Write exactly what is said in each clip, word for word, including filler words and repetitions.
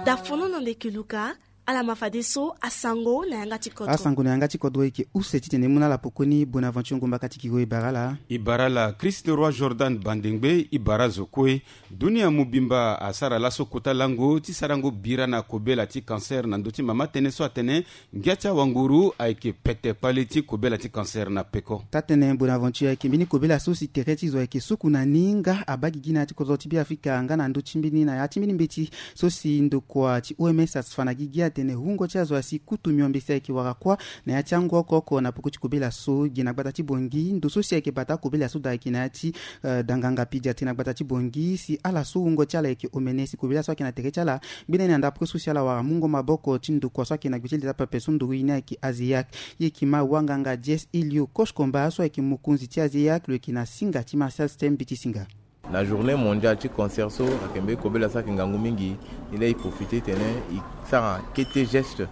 Dafono na ndeke luka. Ala ma fadeso asango na yanga ti kodro. Asango na yanga ti kodro eke use titene e mu na ala pokoni Bonaventure Ngomba Katikiro. E bara ala. E bara ala Christ Roi Jordan Bandengbe. E bara zo kue. Dunia mobimba asara laso kota lango ti sarango bira na kobela ti cancer na ndö ti mama tënë so atene ngia ti awanguru ayeke pete kpale ti kobela ti cancer na peko. Taa-tënë Bonaventure, ayeke mbeni kobela so si tere ti zo ayeke suku na ni nga abaa gigi na ya ti kodro ti Beafrika nga na ndö ti mbeni na ya ti mbeni mbeti so si ndokua ti O M S asi fa na gigi atene wungo ti azo asi kutu miombe si ayeke wara kuâ na ya ti angu oko oko na peko ti kobela so. Gi na gbata ti Bangui, ndo so si ayeke bata kobela so daa ayeke na ya ti, eh, danganga pédiatrie na gbata ti Bangui, si ala so wungo ti ala ayeke omene si kobela so ayeke na tere ti ala. Gbene ni na ndapre so si ala wara mungo maboko ti ndokua so ayeke na gbe ti leta pepe so nduru ye ni ayeke ASEAC. Ye yeke ma wanganga Jess Elio Koshkomba so ayeke mokonzi ti ASEAC, lo yeke na singa ti Martial Stem Biti Singa. Na journée mondiale ti cancer so ayeke mbeni kobela so ayeke ngangu mingi. Ni laa e profite titene e sara kete geste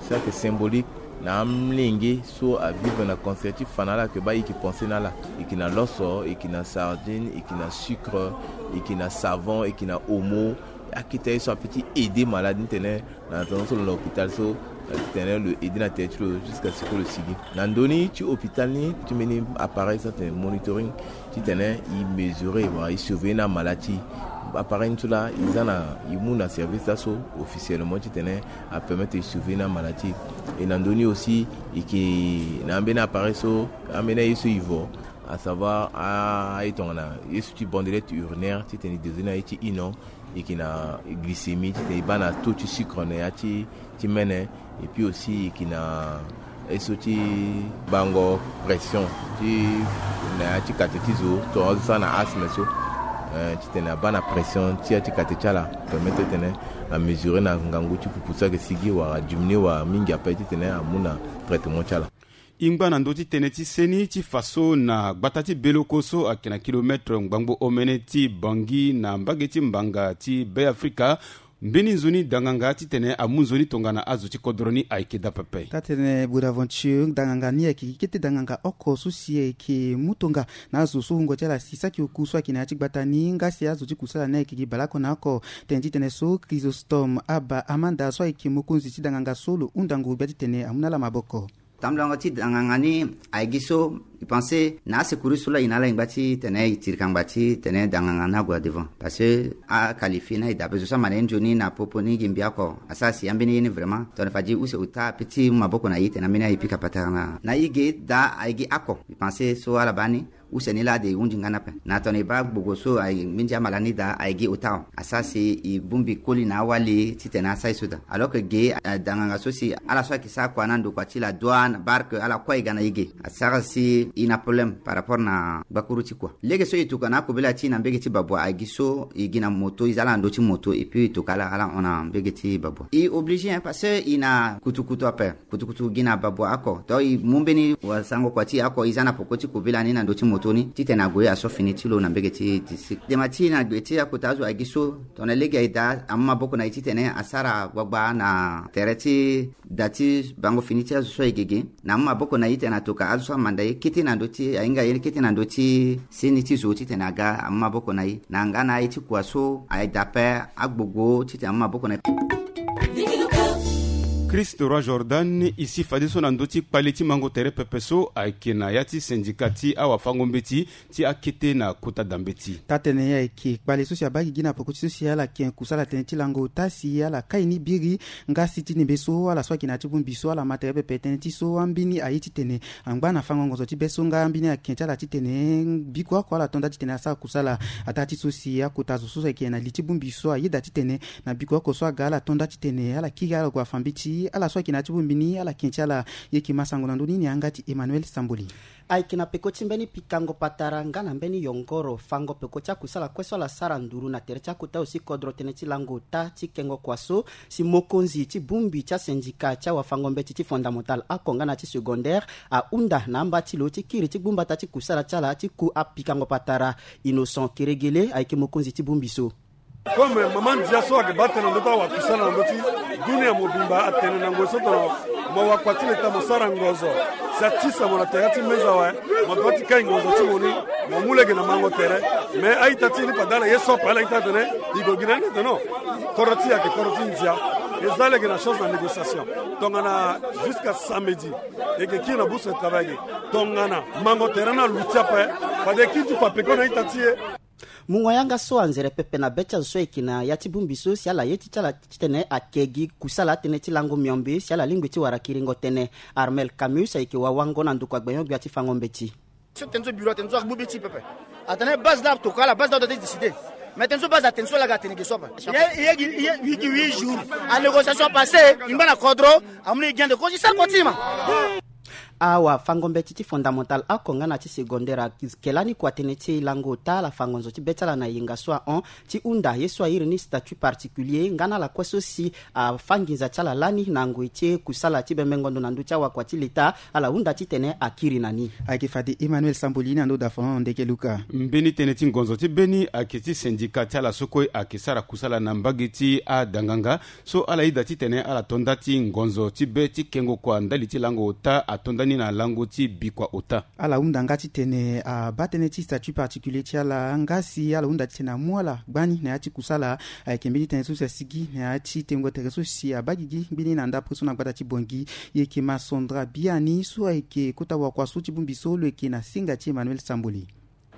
so ayeke symbolique na amolenge so avivre na cancer ti fa na ala, ayeke baa e yeke pense na ala. E yeke na loso, e yeke na sardine, e yeke na sucre, e yeke na savon, e yeke na omo. Akete aye so apeut ti aider malade ni tene na tongaso lo na hôpital so, eh, titene lo aider na tere ti lo jusqu'à ce que lo sigi. Na ndö ni ti hôpital ni ti mbeni appareil so atene monitoring titene e mesurer wala e surveiller na maladie ti e. Appareil ni so laa e za na e mu na service laso officiellement titene apermettre e surveiller na maladie ti e. E na ndö ni aussi e yeke na ambeni appareil so, ambeni aye so e vo, à savoir a, aye tongana ye so ti bandelette urinaire titene e dosé na ye ti ino. E yeke na glycémie titene e baa na taux ti sucre na ya ti, ti mene. Et puis aussi e yeke na ye so ti bango pression ti na ya ti kate ti zo, tongana azo sara na asthme so, eh, titene abaa na pression ti ya ti kate ti ala, permettre titene amesurer na ngangu ti pupu so ayeke sigi wala adiminuer wala mingi ape titene amu na traitement ti ala. E ngba na ndö ti tënë ti seni ti fa so na gbata ti Beloko so ayeke na kilomètre ngbangbo omene ti Bangui na mbage ti mbanga ti Beafrika, mbeni nzoni danganga titene amu nzoni tongana azo ti kodro ni ayeke daa pepe. Taa-tënë Bonaventure, danganga ni ayeke gi kete danganga oko so si ayeke mu tonga na azo so wungo ti ala si saki oku so ayeke na ya ti gbata ni nga si azo ti kusala ni ayeke gi baleoko na oko. Tënë ti tënë so Chrysostome Aba Amanda so ayeke mokonzi ti danganga so lo hunda ngu gbia titene amu na ala maboko. Tamblango ti danganga ni aye gi so, e pense na asecours so laa e na ala e ngba titene e tiri kangba titene danganga ni ague na devant. Parce que a qualifier na e daa ape, zo so amanda ye nzoni na popo ni gi mbi oko, asara si ambeni ye ni vraiment tongana fade e use ota ape ti mu maboko na e titene ambeni aye e pika patara na, na e ge daa aye gi oko. E pense so ala baa ni use ni laa de e hunzi nga ni ape. Na tongana e baa gbogo so aye minzi amala ni daa aye gi ota awe. Asara si e bongbi koli na awali titene asara e so daa. Alors que ge, eh, danganga so si ala so ayeke sara kua na ndokua ti la douane, barque, ala kue e ga na e ge. Asara si e na problème par rapport na gbakuru ti kua. Lege so e tokua na akobela ti e na mbege ti Babua aye gi so e gi na moto, e za ala na ndö ti moto et puis e tokua ala, ala hon na mbege ti Babua. E obligé, hein, parce que e na kutukutu ape. Kutukutu gi na Babua oko. Donc e mu mbeni wasango kua ti e oko, e za na poko ti kobela ni na ndö ti moto ni titene ague aso fini ti lo na mbege ti district. Dema ti e na gbe ti akota azo aye gi so, tongana lege aye daa, amu maboko na e titene asara gbagba na tere ti da ti bango fini ti azo so aye gege. Na amu maboko na e titene atoka azo so amanda ye kete na ndö ti, ahinga ye kete na ndö ti seni ti zo titene aga amu maboko na e. Na nga na aye ti kua so aye daa ape, agbogo titene amu maboko na e. Christ Roi Jordan, e si fadeso na ndö ti kpale ti mango tere pepe so ayeke na ya ti syndicat ti awafango-mbeti ti akete na kota dambeti. Taa-tënë ayeke kpale so si abaa gigi na poko ti so si ala yeke kusala tënë ti lango ota si ala kai ni biri nga si ti nembe so ala so ayeke na ya ti bongbi so ala ma tere pepe tënë ti so ambeni aye titene angba na fango ngonzo ti be so nga ambeni aken ti ala titene biko oko ala to nda titene asara kusala. Ataa ti so si akota zo so ayeke na li ti bongbi so ayeda titene na biko oko so aga ala to nda titene ala kiri ala gue afa mbeti, ala so ayeke na ya ti bongbi ni ala ken ti ala. Ye yeke ma sango na ndö ni ni yanga ti Emmanuel Samboli. Ayeke na peko ti mbeni pikango patara nga na mbeni yongoro fango peko ti akusala kue so ala sara nduru na tere ti akota osi kodro tënë ti lango ota ti kengo kua so si mokonzi ti bongbi ti asindika ti awafango-mbeti ti fondamental oko nga na ti secondaire ahunda na amba ti lo ti kiri ti gbu mbata ti kusala ti ala ti ku apikango patara. Innocent Keregele ayeke mokonzi ti bongbi so. Comme mama ndia so ayeke baa tënë na ndö ti awakusala na ndö ti dunia mobimba atene na ngoi so tongana mo wakua ti leta mo sara ngozo. Si atisa mo na tere ti meza awe, mo doit ti kai ngonzo ti mo ni, mo mu lege na mango tere. Mais a-ita ti e ni fade ala ye so ape, ala ye ti atene e gue gi na ni tene non. Kodro ti e ayeke kodro ti ndia. E za lege na chance na négociation. Tongana jusqu'à samedi e yeke kiri na bourse de travail ge. Tongana mango tere ni aluti ape, fade e kiri ti fa peko na a-ita ti e. Mungo yanga so anzere pepe na be ti azo so ayeke na ya ti bongbi so si ala ye ti ti ala titene ake gi kusala atënë ti lango miombe si ala lingbi ti wara kiringo tënë. Armel Camus ayeke wawango na ndokua gbenyo-gbia ti fango mbeti. So tënë so bureau atene so agbu be ti pepe. Atene base la atokua ala, base la adoit ti décider. Mais tënë so base atene so ala ga atene ge so ape. Ye ye gi ye gi huit jours. A négociation passé, e ngba na kodro. Amu na e gi ande kozo e sara kua ti e ma. Awa fango mbeti ti fondamental oko nga na ti secondaire ayeke lani kua tënë ti lango ota, ala fa ngonzo ti be ti ala na yenga so ahon ti hunda ye so airi ni statut particulier nga na ala kue so si afa nginza ti ala lani na ngoi ti kusala ti bembengo ndo na ndö ti awakua ti leta. Ala hunda titene akiri na ni. Ayeke fade Emmanuel Samboli na ndö da Fernand Ndeke Luka. Mbeni tënë ti ngonzo ti be ni ayeke ti syndicat ti ala so kue ayeke sara kusala na mbage ti adanganga. So ala yeda titene ala to nda ti ngonzo ti be ti kengo kua ndali ti lango ota ato nda ni na lango ti bikua ota. Ala hunda nga titene abaa tënë ti statut particulier ti ala nga si ala hunda titene amu ala gbani na ya ti kusala. Ayeke mbeni tënë so si asigi na ya ti tengo tere so si abaa gigi mbeni na ndapre so na gbata ti Bangui. E yeke Masandra Biani so ayeke kota wakua so ti bongbi so lo yeke na singa ti Emmanuel Samboli.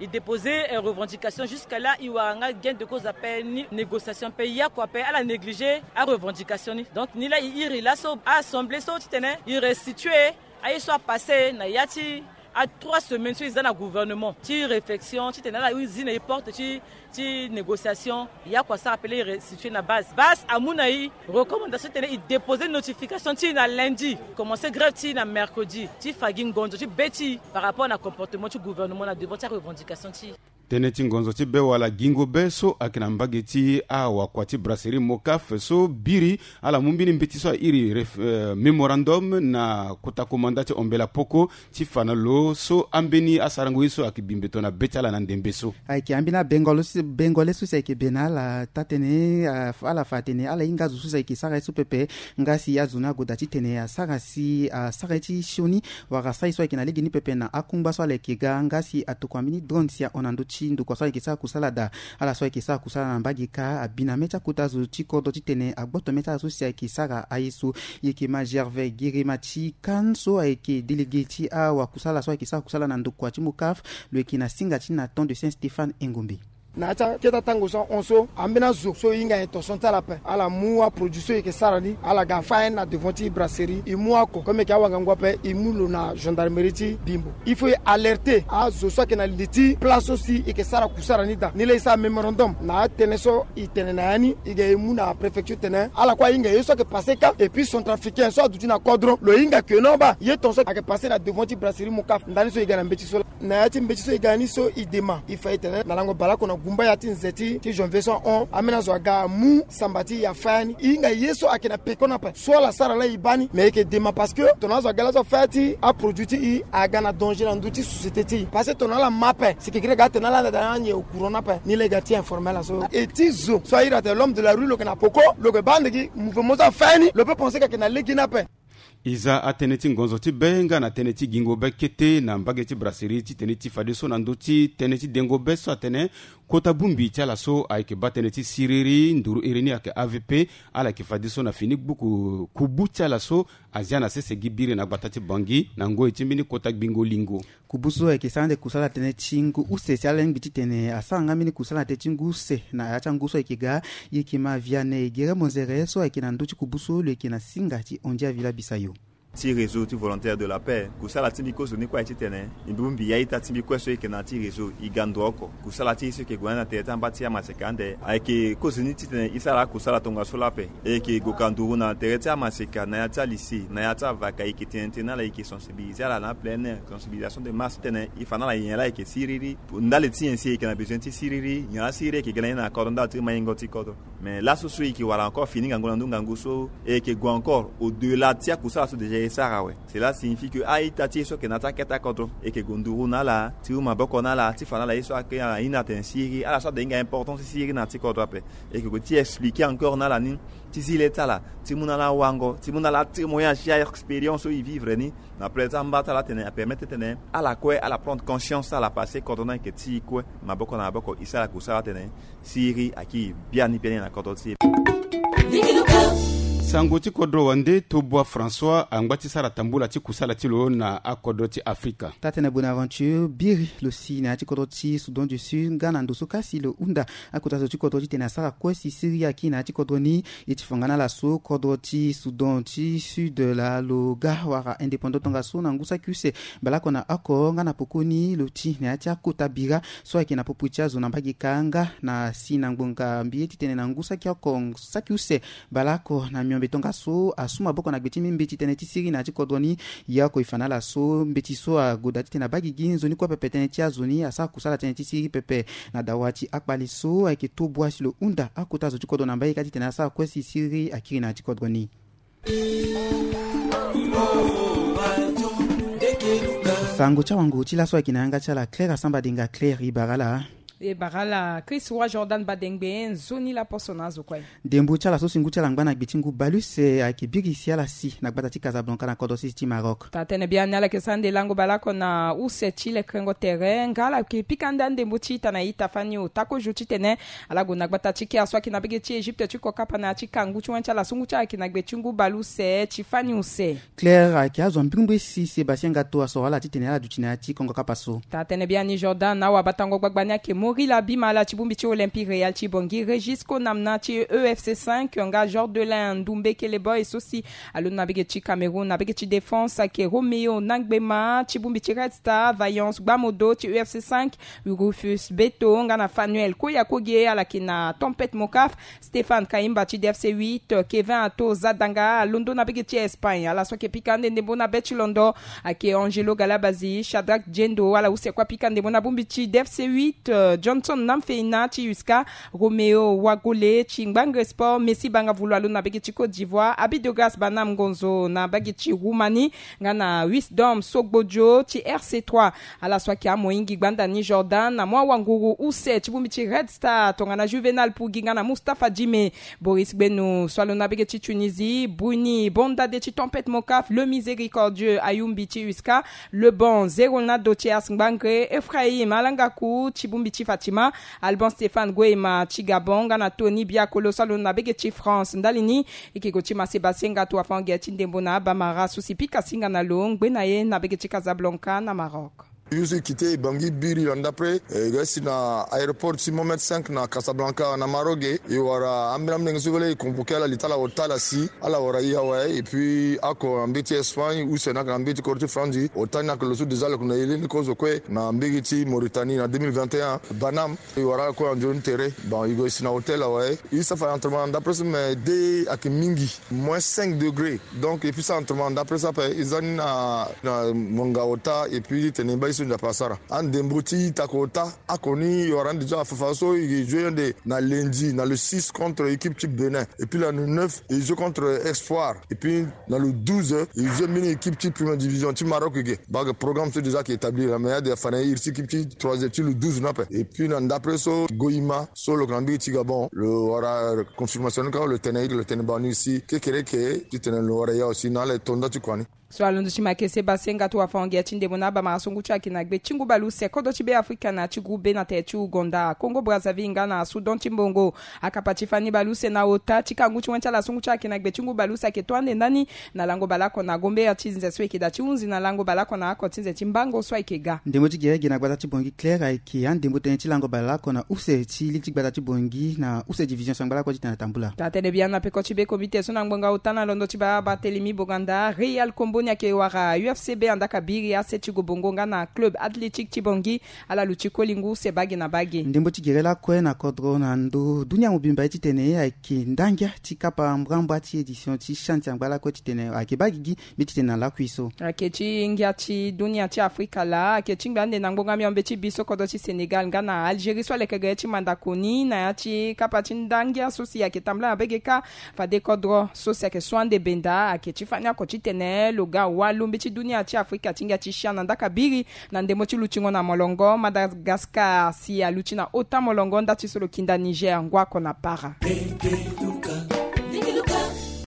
E déposer revendication jusqu'à là, e wara nga gain de cause ape ni négociation ape, ya kua ape ala négliger arevendication ni. Donc ni laa e iri laso assemblée so titene e restituer aye so apasser na ya ti a trois semaines so e za na gouvernement ti réflexion titene ala zi na e porte ti ti négociation. Ya kua sara ape laa e restituer na base, base amu na e recommandation titene e déposer notification ti e na lundi, commencer grève ti e na mercredi ti fa gi ngonzo ti be ti e par rapport na comportement ti gouvernement na devant ti arevendication ti e. Tënë ti ngonzo ti be wala gingo be so ayeke na mbage ti awakua ti brasserie Mocaf so biri ala mu mbeni mbeti so airi mémorandum na kota komanda ti Ombela Poko ti fa na lo so ambeni asarango ye so ayeke bi mbeto na be ti ala na ndembe so. Ayeke ambeni abengole so si ayeke be na ala taa-tënë. Ala fa atene ala hinga azo so si ayeke sara ye so pepe. Nga si azo ni agoda titene asara si asara ye ti sioni wala asara ye so ayeke na lege ni pepe na akungba so ala yeke ga nga si atokua mbeni drone si ahon na ndö ti ndokua so ayeke sara kusala daa. Ala so ayeke sara kusala na mbage kâ abi na mê ti akota zo ti kodro titene agboto mê ti ala so si ayeke sara aye so. E yeke ma Gervais Girima ti Kane so ayeke délégué ti awakusala so ayeke sara kusala na ndokua ti Mocaf. Lo yeke na singa ti Nathan de Saint Stéphane Engombe. Na ya ti akete atango so ahon so ambeni azo so e hinga intention ti ala ape ala mu aproduit so e yeke sara ni ala ga afa ni na devant ti brasserie e mu oko comme e yeke awangangu ape e mu lo na gendarmerie ti Bimbo. Il faut e alerter azo so ayeke na li ti place so si e yeke sara kusara ni daa. Ni laa e sara mémorandum na atënë so e tene na ya ni e ga e mu na préfecture tene ala kue ahinga ye so ayeke passer kâ et puis centrafricain so aduti na kodro lo hinga ke non baa ye tongaso ayeke passer na devant ti brasserie Mocaf ndani so e ga na mbeti so laa. Na ya ti mbeti so e ga ni so e dema e fa e tene na lango baleoko na gumba ya ti nze ti ti janvier so ahon ambeni azo aga amu samba ti e afa ya ni e hinga ye so ayeke na peko ni ape. So ala sara laa e baa ni mais e yeke dema parce que tongana azo aga laso afa ya ti aproduit ti e aga na danger na ndö ti société ti e parce que tongana ala ma ape si kekerek aga atene ala anda daa na anye au courant ni ape. Ni laa e ga ti informer ala so e ti zo so airi atene l'homme de la rue lo yeke na peko lo yeke baa ande gi mouvement so afa ya ni lo peut penser ke ayeke na lege ni ape. E za atënë ti ngonzo ti be nga na tënë ti gingo be kete na mbage ti brasserie titene e ti fadeso na ndö ti tënë ti dengo be so atene kota bongbi ti ala so ayeke baa tënë ti siriri nduru iri ni ayeke A V P. Ala yeke fadeso na fini gbuku kubu ti ala so azia na sese gi biri na gbata ti Bangui na ngoi ti mbeni kota gbingo lingo. Kubu so ayeke sara ande kusala tënë ti ngu use si ala lingbi titene asara nga mbeni kusala na tënë ti ngu use na ya ti angu so ayeke ga. E yeke ma Vianney Gere Monzere so ayeke na ndö ti kubu so lo yeke na singa ti Ondia Villa Bisayo. Ti réseau ti volontaire de la paix kusala ti mbi kozoni kue aye titene mbi bongbi ya ita ti mbi kue so e yeke na ya ti réseau e ga ndo oko. Kusala ti e so e yeke gue na tere ti amba ti amaseka ande ayeke kozoni titene e sara akusala tongaso laa ape. E yeke gue ka nduru na tere ti amaseka na ya ti alycée na ya ti avaka e yeke tene tënë na ala e yeke sensibiliser ala na aplein air sensibilisation de masse titene e fa na ala nyen laa e yeke siriri. Ndali ti nyen si e yeke na besoin ti siriri nyen laa siriri e yeke ga na ye na kodro ndali ti maingo ti kodro. Mais laso so e yeke wara encore fini ngangu na ndö ngangu so, e yeke gue encore au-delà ti akusala so déjà e sara awe. Cela signifie que a-ita ti e so ayeke na ya ti akete akodro, e yeke gue nduru na ala, ti huma maboko na ala, ti fa na ala ye so ayeke na ina atene siriri, ala so ade hinga importance ti siriri na ya ti kodro ape. E yeke gue ti expliquer encore na ala ni, ti zi le ti ala, ti mu na ala wango, ti mu na ala atémoignage ti a-expérience so e vivre ni. Na prêt ti amba ti ala atene apermettre titene ala kue ala prendre conscience ti ala parce que kodro ni ayeke ti e kue. Maboko na maboko e sara kusala atene siriri ayeke biani biani na kodro ti e. Sango ti kodro wande Tobua François angba ti sara tambula ti kusala ti lo na akodro ti Afrika. Taa-tënë Bonaventure biri lo si na ya ti kodro ti Soudan du Sud nga na ndo so kasi lo hunda akota zo ti kodro titene asara kue si siriri ayeke na ya ti kodro ni. E ti fa nga na ala so kodro ti Soudan ti Sud laa lo ga wara indépendant tongaso na ngu saki use baleoko na oko nga na pokoni lo ti na ya ti akota bira so ayeke na popo ti azo na mbage kâ nga na si na ngbonga mbi ye titene na ngu saki oko saki use baleoko na miombe tongaso asu maboko na gbe ti mbi mbeti tënë ti siriri na ya ti kodro ni. Ye oko e fa na ala so mbeti so agoda titene abaa gigi nzoni kue pepe tënë ti azo ni asara kusala tënë ti siriri pepe. Na dawa ti akpale so ayeke Tobua si lo hunda akota zo ti kodro na mbage kâ titene asara kue si siriri akiri na ya ti kodro ni. Sango ti awango ti laso ayeke na yanga ti ala Claire Asamba Denga. Claire, e bara ala. E bara ala Chris Roi Jordan Badengbe, nzoni laposo na azo kue. Ndembo ti ala so si ngu ti ala angba na gbe ti ngu baleuse ayeke biri si ala si na gbata ti Casablanca na kodro sese ti Maroc. Taa-tënë biani ala yeke sara nde lango baleoko na use ti lekrengo tere nga ala yeke pika nda ndembo ti ita na ita fani ota kozo titene ala gue na gbata ti kea so ayeke na mbage ti Egypte ti kokapa na ya ti kangu ti wen ti ala so ngu ti ala ayeke na gbe ti ngu baleuse ti fani use. Claire ayeke azo ambirimbiri si Sébastien Gato asoro ala titene ala duti na ya ti kongo kapa so. Taa-tënë biani Jordan, awabatango gbagba ni ayeke Mori Labima ala ti bongbi ti Olympique Real ti Bangui, Régis Konamna ti E F C cinq nga Jordelin Ndumbekele Boy so si alondo na mbage ti Cameroun na mbage ti défense ayeke Roméo Nangbema ti bongbi ti Red Star, Vaillance Gbamodo ti E F C cinq, Rufus Beto nga na Fanuel Koyakoge ala yeke na Tempête Mokaf, Stéphane Kayimba ti D F C huit, Kevin Ato Zadanga alondo na mbage ti Espagne. Ala so ayeke pika ande ndembo na be ti londo ayeke Angelo Galabazi, Shadrack Djendo, ala use kue apika ndembo na bongbi ti D F C huit, euh, Johnson Namfeina ti U S C A, Roméo Wagole ti Ngbangre Sport, Messi Bangavulu alondo na mbage ti Côte d'Ivoire, Abidogras Banam Ngonzo na mbage ti Roumanie, nga na Wisdom Sogbodio ti R C trois. Ala so ayeke amohingi gbanda ni Jordan na mu awanguru use ti bongbi ti Red Star tongana Juvenal Pugi nga na Mustapha Djime. Boris Gbenu so alondo na mbage ti Tunisie, Bruni Bondade ti Tempête Mokaf, Le Miséricordieux Ayumbi ti U S C A, Lebon Zeronado ti Ars Ngbangre, Ephraim Alangaku ti bongbi ti Fatima, Alban Stéphane Goema ti Gabon nga na Tony Biakolo so alondo na mbage ti France. Ndali ni e yeke gue ti ma Sébastien Gato afa hon ge ti ndembo na abamara so si pika singa na lo ngbe na ye na mbage ti Casablanca na Maroc. Yo so e kite e Bangui biri na ndapre, e ga si na aéroport ti Mohamed cinq na Casablanca na Maroc ge, e wara ambeni ambeni nge so vele e convoqué ala li ti ala ota ala si ala wara e awe. Et puis oko na mbeti Espagne, use na ake na mbeti kodro ti France, ota ni ake lo so déjà lo yeke na e leni kozo kue na mbeti Mauritanie na deux mille vingt et un, Banam. E wara ala kue na nzoni tere. Bon, e gue si na hôtel awe. E sa fa entraînement na ndapre so, mais de ake mingi, moins cinq degrés. Donc e puis sa entraînement na ndapre so ape, e za ni na, na monga ota, et puis titene e baa ye so Nzapa asara. Andembo ti ita kota, oko ni e wara ni déjà afafa so e joué ande na lundi, na le six contre équipe ti Bénin. Et puis na le neuf e joué contre Espoir. Et puis na le douze e joué mbeni équipe ti première division ti Maroc ge. Baa ge programme so déjà ayeke établi la, mais ade afa na e iri ti équipe ti troisième ti le douze ni ape. Et puis na ndapre so Goima so lo yeke na mbeti ti Gabon, lo wara confirmation ni kâ, lo tene e, lo tene baa ni si kekereke titene lo wara e awe si na ala e to nda ti kua ni. So alondo ti ma ke Sébastien Gato afa hon ge ti ndembo na abamara so ngu ti ayeke na gbe ti ngu baleuse kodro ti Beafrika na ya ti groupe B na tere ti Ouganda, Congo Brazzaville nga na Soudan ti mbongo. Akapa ti fani baleuse na ota ti kangu ti wen ti ala so ngu ti ayeke na gbe ti ngu baleuse ayeke to ande ndani na lango baleoko na gombeya ti nze so e yeke daa ti hunzi na lango baleoko na oko ti nze ti mbango so ayeke ga. Ndembo ti gere ge na gbata ti Bangui Claire ayeke andembo tënë ti lango baleoko na use ti ligi ti gbata ti Bangui na use division so angba lakue titene atambula. Taa-tënë biani na peko ti be komite so na ngbonga ota na londo ti baa Barthélemy Boganda, Real Kombo Ni ayeke wara U F C B na ndaka biri, A C ti Gobongo nga na Club Athletic ti Bangui. Ala luti koli ngu use bage na bage. Ndembo ti gere lakue na kodro na ndo dunia mobimba ye titene ayeke ndangia ti kapa mbrambra ti édition ti CHAN ti angba lakue titene ayeke baa gigi mbeti titene na lakui so. Ayeke ti ngia ti dunia ti Afrika laa ayeke ti ngba ande na ngbonga miombe ti bi so kodro ti Sénégal nga na Algérie so aleke ga ye ti mandako ni na ya ti kapa ti ndangia so si ayeke tambula na bege kâ. Fade kodro so si ayeke su ande benda ayeke ti fani oko titene lo ga walo mbeti dunia ti Afrika ti ngia ti CHAN na ndaka biri. Na ndembo ti lutingo na molongo, Madagascar si aluti na ota molongo nda ti so lo kinda Niger ngu oko na para.